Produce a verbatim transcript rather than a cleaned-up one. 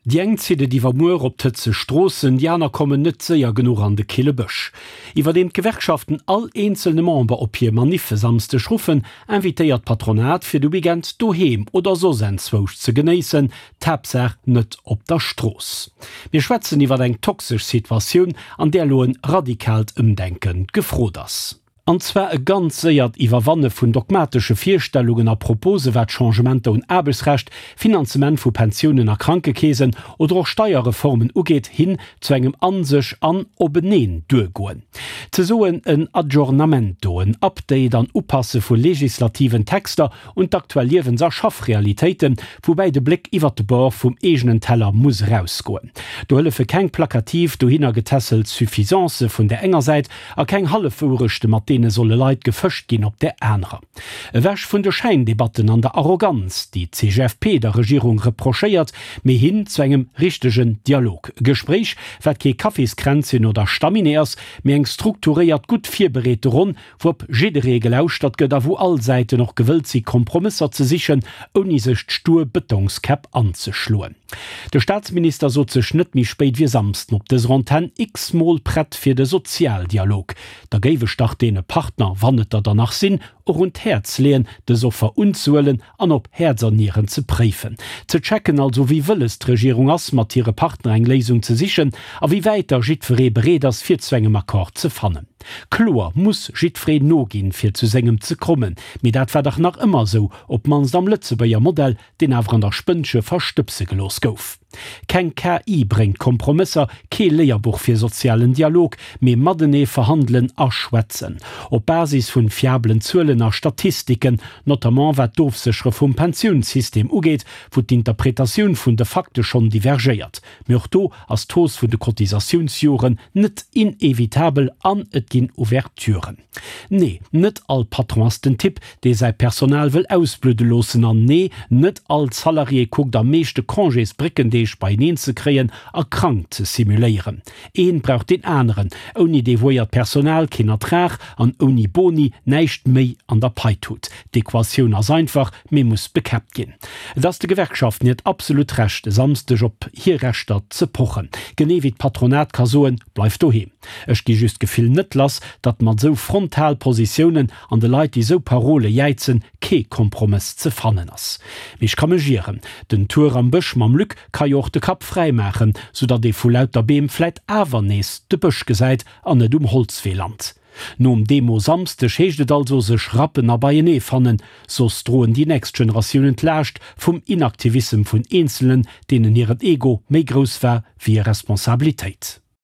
Déi eng zitt et iwwermuer op d'hëtzeg Stroossen, déi aner kommen net séier genuch an de kille Bësch. Iwwerdeem d'Gewerkschaften all eenzelne Member op hir Maniff e Samsdeg ruffen, invitéiert d'Patronat fir de Weekend doheem oder soss enzwousch ze genéissen, d'Haaptsaach net op der Strooss. Mir schwätzen iwwer eng toxesch Situatioun, an där elo e radikaalt Ëmdenke gefrot ass. An zwar e ganz séiert Iwwerwanne vun dogmatesche Virstellungen a Propose wat Changementer un Aarbechtsrecht, Finanzement vu Pensiounen a Krankekeesen oder och Steierreformen ugeet, hin zu engem an sech an openeen duergoen. Ze soen en Aggiornamento, en Update an Upasse vu legislativen Texter un d'aktuell Liewens a Schaffrealitéiten, woubäi de Bléck iwwert de Bord vum eegenen Teller muss erausgoen. Do hëllefe keng plakativ dohinner getässelt Suffisancë vun där enger Säit a keng Hallefwourechte mat deene solle Leit gefëscht ginn op där anerer. Ewech vun de Schäindebatten an der Arroganz, déi d'CGFP der Regierung reprochéiert, mee hin zu engem richtegen Dialog. E Gespréich, wat kee Kaffiskränzchen oder Stamminee ass, mee eng strukturéiert, gutt virbereete Ronn, wou op jidderee gelauschtert gëtt a wou all Säiten och gewëllt si Kompromësser ze sichen, ouni sech d'stur Bëtongskäpp anzeschloen. De Staatsminister sot sech net méi spéit wéi e Samsden op dëser Antenn x-mol prett fir de Sozialdialog. Da géif ech dach deene Partner, wann et der dann nach sinn, och un d'Häerz leeën, dës Offer unzehuelen an op Häerz an Nieren ze préifen. Ze checken also, wéi wëlles d'Regierung ass, mat hire Partner eng Léisung ze sichen a wéi wäit da jiddweree bereet ass, fir zu engem Accord ze fannen. Kloer muss jiddweree noginn, fir zu sengem ze kommen, mee dat war dach nach ëmmer esou, op d'mannst am Lëtzebuerger Modell, deen awer an der Spënnche verstëbse gelooss gouf. Keng K I bréngt Kompromësser, kee Léierbuch fir sozialen Dialog, mee matenee verhandelen a schwätzen. Op Basis vun fiabelen Zuelen a Statistiken, notamment wat d'Ofséchere vum Pensiounssystem ugeet, wou d'Interpretatioun vun de Fakte schonn divergéiert. Mee och do ass d'Hausse vun de Cotisatiounsjoren net inevitabel an et ginn Ouverturen. Nee, net all Patron ass den Typ, dee säi Personal wëll ausbludde loossen an nee, net all Salarié kuckt am meeschte Congésbréckendeeg beieneen ze kréien a krank ze simuléieren. Een brauch deen aneren, ouni devouéiert Personal keen Ertrag an ouni Boni näischt méi an der Paitut. D'Equatioun ass einfach, mee muss bekäppt ginn. Et ass de Gewerkschaften hiert absolut Recht, e Samsdeg op hir Rechter ze pochen. Genee wéi d'Patronat ka soen, Bleift doheem. Ech gi just d'Gefill net lass, datt mat esou frontal Positiounen an de Leit, déi esou Parole jäizen, kee Kompromëss ze fannen ass. Mee ech ka mech ieren, den Tour am Bësch mam Luc ka jo och de Kapp fräi maachen, soudatt ee vu lauter Beem vläit awer nees de Bësch gesäit an net um Holzwee lant. Nom Demo-Samsdeg heescht et also sech rappen a beienee fannen, soss droen déi nächst Generatiounen d'Laascht vum Inaktivissem vun Eenzelen, deenen hiren Ego méi grouss war wéi hir Responsabilitéit.